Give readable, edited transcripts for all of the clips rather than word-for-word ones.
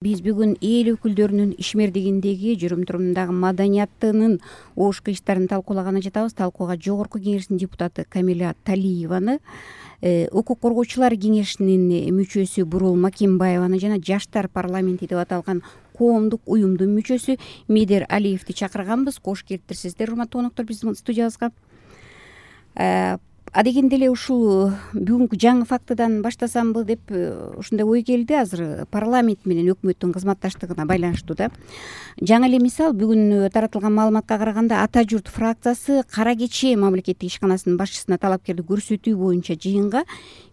Биз бүгүн эл өкүлдөрүнүн ишмердигиндеги жүрүм-турумундагы маданияттынын ош кыйыштарын талкуулаганы жатабыз. Талкууга Жогорку Кеңештин депутаты Камиля Талиеваны, Укук коргоочулар кеңешинин мүчөсү Бурул Макимбаеваны жана Жаштар парламенти деп аталган коомдук уюмдун мүчөсү Медер Алиевди чакырганбыз. Кош келиптирсиздер, урматтуу коноктор, биздин студиябызга. Адегенде эле ушул бүгүнкү жаңы фактыдан баштасамбы деп ушундай ой келди. Азыр парламент менен өкмөттүн кызматташтыгына байланыштуу да. Жаңы эле мисал, бүгүн таратылган маалыматка караганда Ата журт фракциясы Кара Кече мамлекеттик ишканасынын башчысына талапкерди көрсөтүү боюнча жыйынга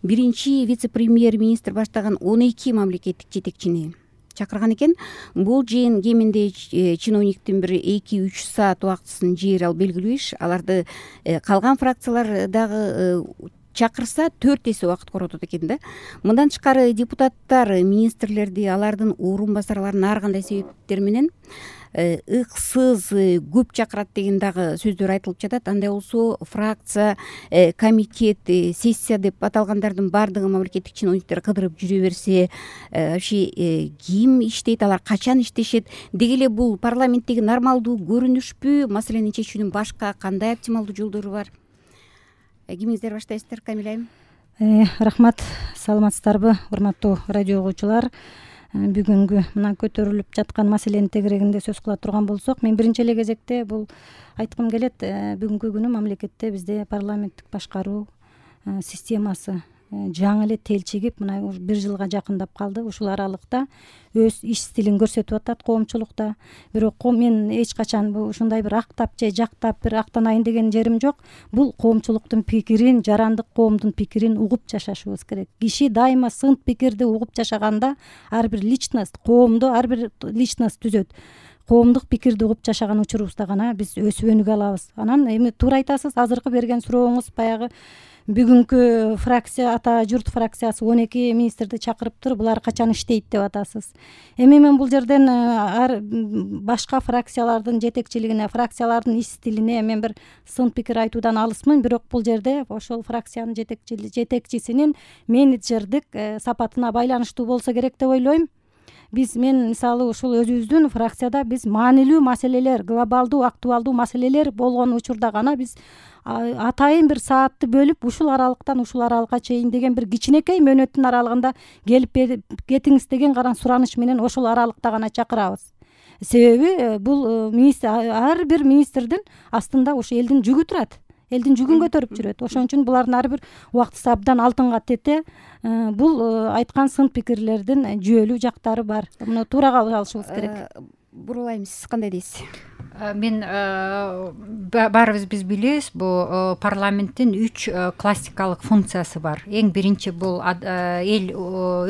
биринчи вице-премьер-министр баштаган 12 мамлекеттик жетекчини чакырган экен. Бул жыйын кеминде чиновниктин бир 2-3 саат убактысын жээр ал белгилүү иш. Аларды калган фракциялар дагы чакырса 4 эсе убакыт коротот экен да. Мындан тышкары депутаттар министрлерди, алардын орун басарларын ар кандай себептер менен ыксыз көп чакырат деген дагы сөздөр айтылып жатат. Андай болсо фракция, комитет, сессия деп аталгандардын баардыгы мамлекеттик чиновниктер кыдырып жүрө берсе, вообще ким иштейт, алар качан иштешет? Деги эле бул парламенттеги нормалдуу көрүнүшпү? Маселени чечүүнүн башка кандай оптималдуу жолдору бар? Кимиңиздер баштайсыздар, Камиля айым? Рахмат, саламатсыздарбы, урматтуу радио угуучулар? Бүгүнкү мына көтөрүлүп жаткан маселенин тегерегинде сөз кыла турган болсок, мен биринчи эле кезекте бул айткым келет. Бүгүнкү күнү мамлекетте бизде парламенттик башкаруу системасы жаңы эле телчигип, мына бир жылга жакындап калды. Ушул аралыкта өз иш стилин көрсөтүп атат коомчулукта. Бирок мен эч качан ушундай бир актап же жактап бир актанайын деген жерим жок. Бул коомчулуктун пикирин, жарандык коомдун пикирин угуп жашашыбыз керек. Киши дайыма сынт пикирди угуп жашаганда ар бир личность, коомдо ар бир личность түзөт. Коомдук пикирди угуп жашаган учурубузда гана биз өсүп өнүгө алабыз. Анан эми туура айтасыз, азыркы берген сурооңуз баягы бүгүнкү фракция, Ата журт фракциясы 12 министрди чакырыптыр, булар качан иштейт деп атасыз. Эми мен бул жерден башка фракциялардын жетекчилигине, фракциялардын иш стилине мен бир сын пикир айтуудан алысмын, бирок бул жерде ошол фракциянын жетекчисинин менеджердик сапатына байланыштуу болсо керек деп ойлойм. Мен мисалы ушул өзүбүздүн фракцияда биз маанилүү маселелер, глобалдуу, актуалдуу маселелер болгон учурда гана биз атайын бир саатты бөлүп ушул аралыктан ушул аралыкка чейин деген бир кичинекей мөөнөттүн аралыгында келип кетиңиз деген гана сураныш менен ошол аралыкта гана чакырабыз. Себеби бул ар бир министрдин астында ушу элдин жүгү турат. Элдин жүгүн көтөрүп жүрөт. Ошон үчүн булардын ар бир убактысы абдан алтынга тете. Бул айткан сын пикирлердин жүйөлүү жактары бар. Муну туура алышыбыз керек. Бурул айым, сиз кандай дейсиз? Мен баарыбыз биз билебиз, бул парламенттин 3 классикалык функциясы бар. Эң биринчи бул эл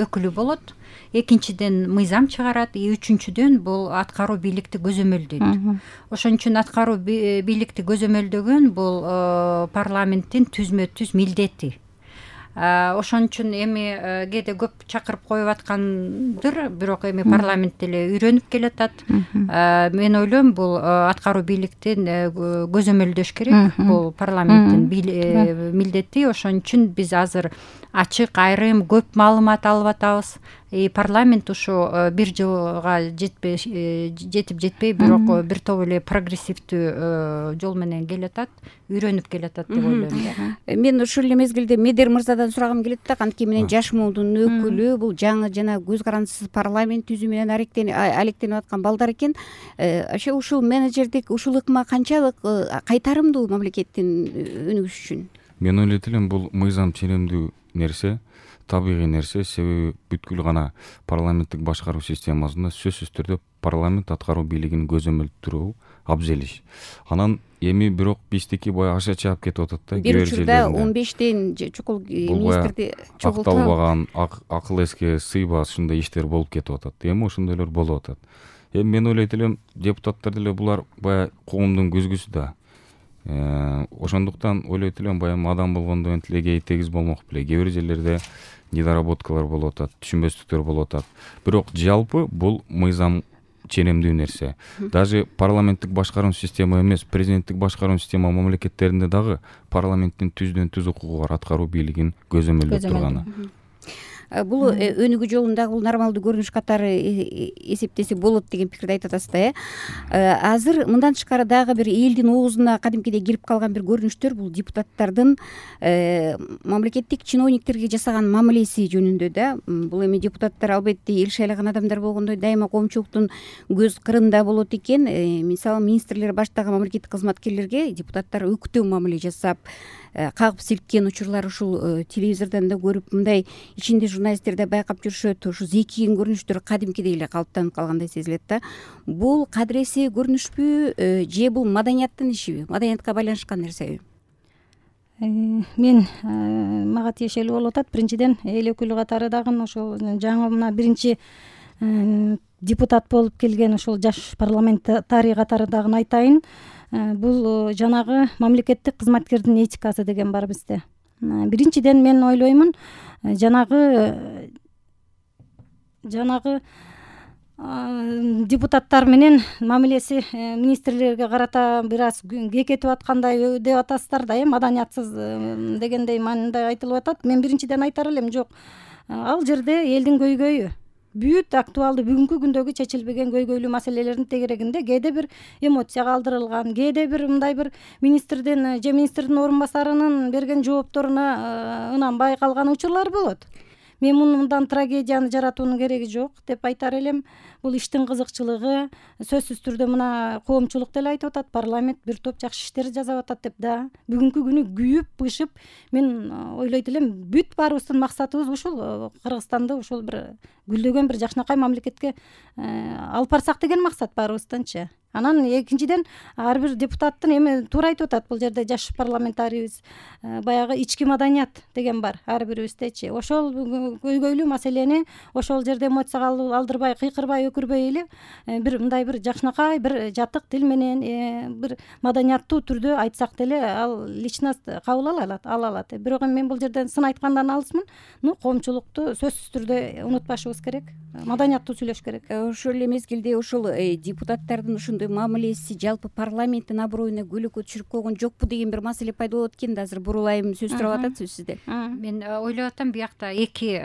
өкүлү болот. Экинчиден мыйзам чыгарат, үчүнчүдөн бул аткаруу бийликти көзөмөлдөйт. Ошон үчүн аткаруу бийликти көзөмөлдөгөн бул парламенттин түзмө-түз милдети. Ошон үчүн эми кээде көп чакырып коюп аткандыр, бирок эми парламент деле үйрөнүп келатат. Мен ойлойм, бул аткаруу бийликтин көзөмөлдөш керек. Бул парламенттин милдети. Ошон үчүн биз азыр ачык, айрым, көп маалымат алып атабыз. Парламент ушу бир жылга жетип жетпей, бирок бир топ эле прогрессивдүү жол менен келатат, үйрөнүп келатат деп ойлойм. Мен ушул эле мезгилде Медер мырзадан сурагым келет да, кантип менен жаш муундун өкүлү, бул жаңы жана көз карандысыз парламент түзүү менен алектенип аткан балдар экен. Вообще ушул менеджердик, ушул ыкма канчалык кайтарымдуу мамлекеттин өнүгүшү үчүн? Мен ойлойт элем, бул мыйзам ченемдүү нерсе, табигый нерсе. Себеби бүткүл гана парламенттик башкаруу системасында сөзсүз түрдө парламент аткаруу бийлигин көзөмөлдөрүү абзел иш. Анан эми бирок биздики баягы аша чаап кетип атат да. Бир учурда 15тен чукул министрди чогултуп акталбаган, акыл эске сыйбас ушундай иштер болуп кетип атат. Эми ошондойлор болуп атат. Эми мен ойлойт элем, депутаттар деле булар баягы коомдун көзгүсү да. Ошондуктан ойлойт элем, баягы адам болгондо энтилегей тегиз болмок беле. Кээ бир жерлерде недоработкалар болуп атат, түшүнбөстүктөр болуп атат. Бирок жалпы бул мыйзам ченемдүү нерсе. Даже парламенттик башкаруу система эмес, президенттик башкаруу система мамлекеттеринде дагы парламенттин түздөн түз укугу бар, аткаруу бийлигин көзөмөлдөп турганы. бул өнүгүү жолундагы бул нормалдуу көрүнүш катары эсептесе болот деген пикирди айтып атасыз да. Азыр мындан тышкары дагы бир элдин оозуна кадимкидей кирип калган бир көрүнүштөр бул депутаттардын мамлекеттик чиновниктерге жасаган мамилеси жөнүндө да. Бул эми депутаттар албетте эл шайлаган адамдар болгондой дайыма коомчулуктун көз кырында болот экен. Мисалы министрлер баштагы мамлекеттик кызматкерлерге депутаттар өктөө мамиле жасап, кагып силккен учурлар ушул телевизордон да көрүп, мындай ичинде журналисттер да байкап жүрүшөт. Ушу зекиген көрүнүштөр кадимкидей эле калыптанып калгандай сезилет да. Бул кадыресе көрүнүшпү же бул маданияттын ишиби, маданиятка байланышкан нерсеби? Мен мага тиешелүү болуп атат. Биринчиден эл өкүлү катары дагы ошол жаңы мына биринчи депутат болуп келген ушул жаш парламентарий катары дагы айтайын. Бул жанагы мамлекеттик кызматкердин этикасы деген бар бизде. Биринчиден мен ойлоймун, жанагы депутаттар менен мамилеси министрлерге карата бир аз кекетип аткандай деп атасыздар да, маданиятсыз дегендей мындай айтылып атат. Мен биринчиден айтар элем, жок, ал жерде элдин көйгөйү, бүт актуалдуу бүгүнкү күндөгү чечилбеген көйгөйлүү маселелердин тегерегинде кээде бир эмоция калтырылган, кээде бир мындай бир министрдин же министрдин орун басарынын берген жоопторуна ынанбай калган учурлар болот. Мен мындан трагедияны жаратуунун кереги жок деп айтар элем. Бул иштин кызыкчылыгы сөзсүз түрдө мына коомчулук деле айтып атат, парламент бир топ жакшы иштер жасап атат деп да. Бүгүнкү күнү күйүп бышып мен ойлойт элем, бүт баарыбыздын максатыбыз ушул Кыргызстанды ушул бир гүлдөгөн бир жакшынакай мамлекетке алып барсак деген максат баарыбызданчы. Анан экинчиден ар бир депутаттын эми туура айтып атат, бул жерде жаш парламентарийбиз, баягы ички маданият деген бар ар бирибиздечи. Ошол көйгөйлүү маселени ошол жерде эмоцияга алдырбай, кыйкырбай, өкүрбөй эле бир мындай бир жакшынакай бир жатык тил менен бир маданияттуу түрдө айтсак деле ал личность кабыл ала алат. Бирок мен бул жерден сын айткандан алысмын. Коомчулукту сөзсүз түрдө унутпашыбыз керек, маданияттуу сүйлөш керек. Ошол эле мезгилде ошол депутаттардын ушундай мамилеси жалпы парламенттин аброюна көйгөй түшүрүп койгон жокпу деген бир маселе пайда болот экен да. Азыр бурулайым сөз сурап атат сизде. Мен ойлоп атам, биякта эки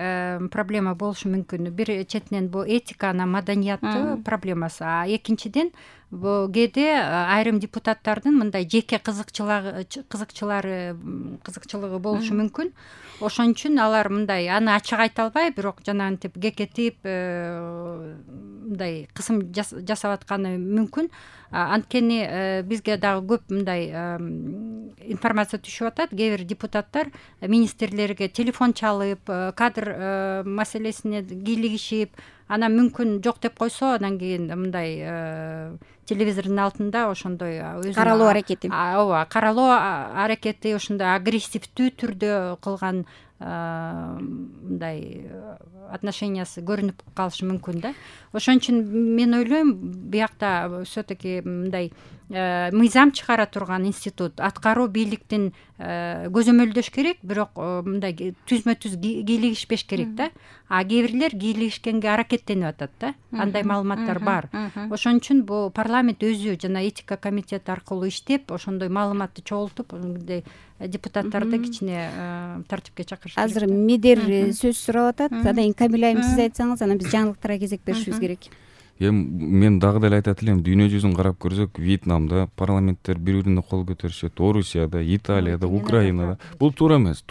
проблема болушу мүмкүн. Бир четинен бул этика, анан маданияттуу проблемасы, а экинчиден бул кээде айрым депутаттардын мындай жеке кызыкчылыгы болушу мүмкүн. Ошон үчүн алар мындай аны ачык айта албай, бирок жанагынтип кекетип мындай кысым жасап атканы мүмкүн. Анткени бизге дагы көп мындай информация түшүп атат. Кээ бир депутаттар министрлерге телефон чалып, кадр маселесине кийлигишип, анан мүмкүн жок деп койсо, анан кийин мындай телевизордун алдында ошондой каралоо аракети. Ооба, каралоо аракети ошондой агрессивдүү түрдө кылган мындай отношениясы көрүнүп калышы мүмкүн да. Ошон үчүн мен ойлойм, биякта все-таки мындай мыйзам чыгара турган институт, аткаруу бийликтин көзөмөлдөш керек, бирок мындай түзмө-түз кийлигишпеш керек да. А кээ бирлер кийлигишкенге аракеттенип атат да. Андай маалыматтар бар. Ошон үчүн бул парламент өзү жана этика комитети аркылуу иштеп, ошондой маалыматты чогултуп, мындай депутаттарды кичине тартипке чакырыш керек. Азыр Медер сөз сурап атат. Анан Камила айым сиз айтсаңыз, анан биз жаңылыктарга кезек беришибиз керек. Мен дагы деле айтат элем, дүйнө жүзүн карап көрсөк, Вьетнамда парламенттер бири-бирине кол көтөрүшөт, Орусияда, Италияда, Украинада. Бул туура эмес.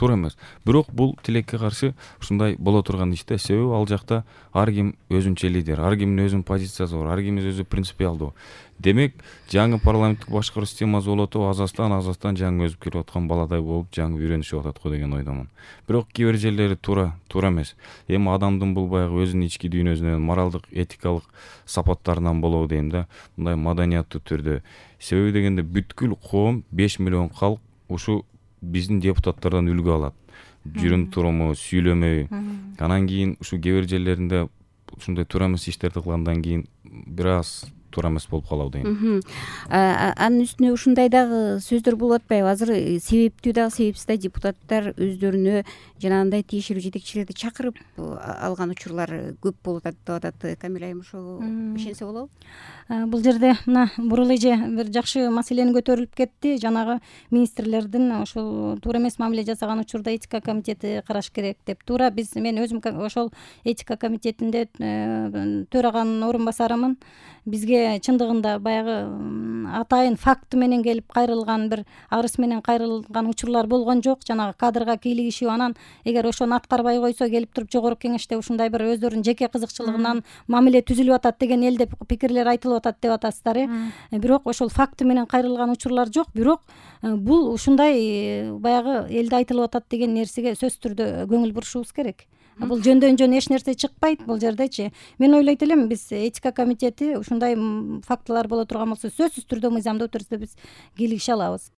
Бирок бул тилекке каршы ушундай боло турган иште, себеби ал жакта ар ким өзүнчө лидер, ар кимдин өзүнүн позициясы бар, ар ким өзү принципиалдуу. Демек, жаңы парламенттик башкаруу системасы болот, азастан жаңы өсүп келип аткан баладай болуп жаңы үйрөнүшүп атат го деген ойдомун. Бирок кээ бир жерлери туура эмес. Эми адамдын бул баягы өзүнүн ички дүйнөсүнөн, моралдык, этикалык сапаттарынан болобу дейм да, мындай маданияттуу түрдө. Себеби дегенде бүткүл коом, 5 миллион калк ушу биздин депутаттардан үлгү алат. Жүрүм туруму, сүйлөмөй. Анан кийин ушу кээ бир жерлеринде ушундай туура эмес иштерди кылгандан кийин бир аз туура эмес болуп калабы дейм. Анын үстүнө ушундай дагы сөздөр болуп атпайбы? Азыр себептүү дагы себепсиз да депутаттар өздөрүнө жанагындай тиешелүү жетекчилерди чакырып алган учурлар көп болуп атат деп атат. Камила айым ошого ишенсе болобу? Бул жерде мына бурул эже бир жакшы маселени көтөрүлүп кетти. Жанагы министрлердин ошол туура эмес мамиле жасаган учурда этика комитети караш керек деп. Туура мен өзүм ошол этика комитетинде төраганын орун басарымын. Бизге чындыгында баягы атайын факты менен келип кайрылган, бир арыз менен кайрылган учурлар болгон жок. Жанагы кадрга кийлигишип, анан эгер ошону аткарбай койсо келип туруп жогорку кеңеште ушундай бир өздөрүнүн жеке кызыкчылыгынан мамиле түзүлүп атат деген элде пикирлер айтылып атат деп атасыздар. Бирок ошол факты менен кайрылган учурлар жок. Бирок бул ушундай баягы элде айтылып атат деген нерсеге сөзсүз түрдө көңүл бурушубуз керек. Бул жөндөн жөн эч нерсе чыкпайт бул жердечи. Мен ойлойт элем, биз этика комитети ушундай фактылар боло турган болсо сөзсүз түрдө мыйзамдуу түрдө биз кийлигише алабыз.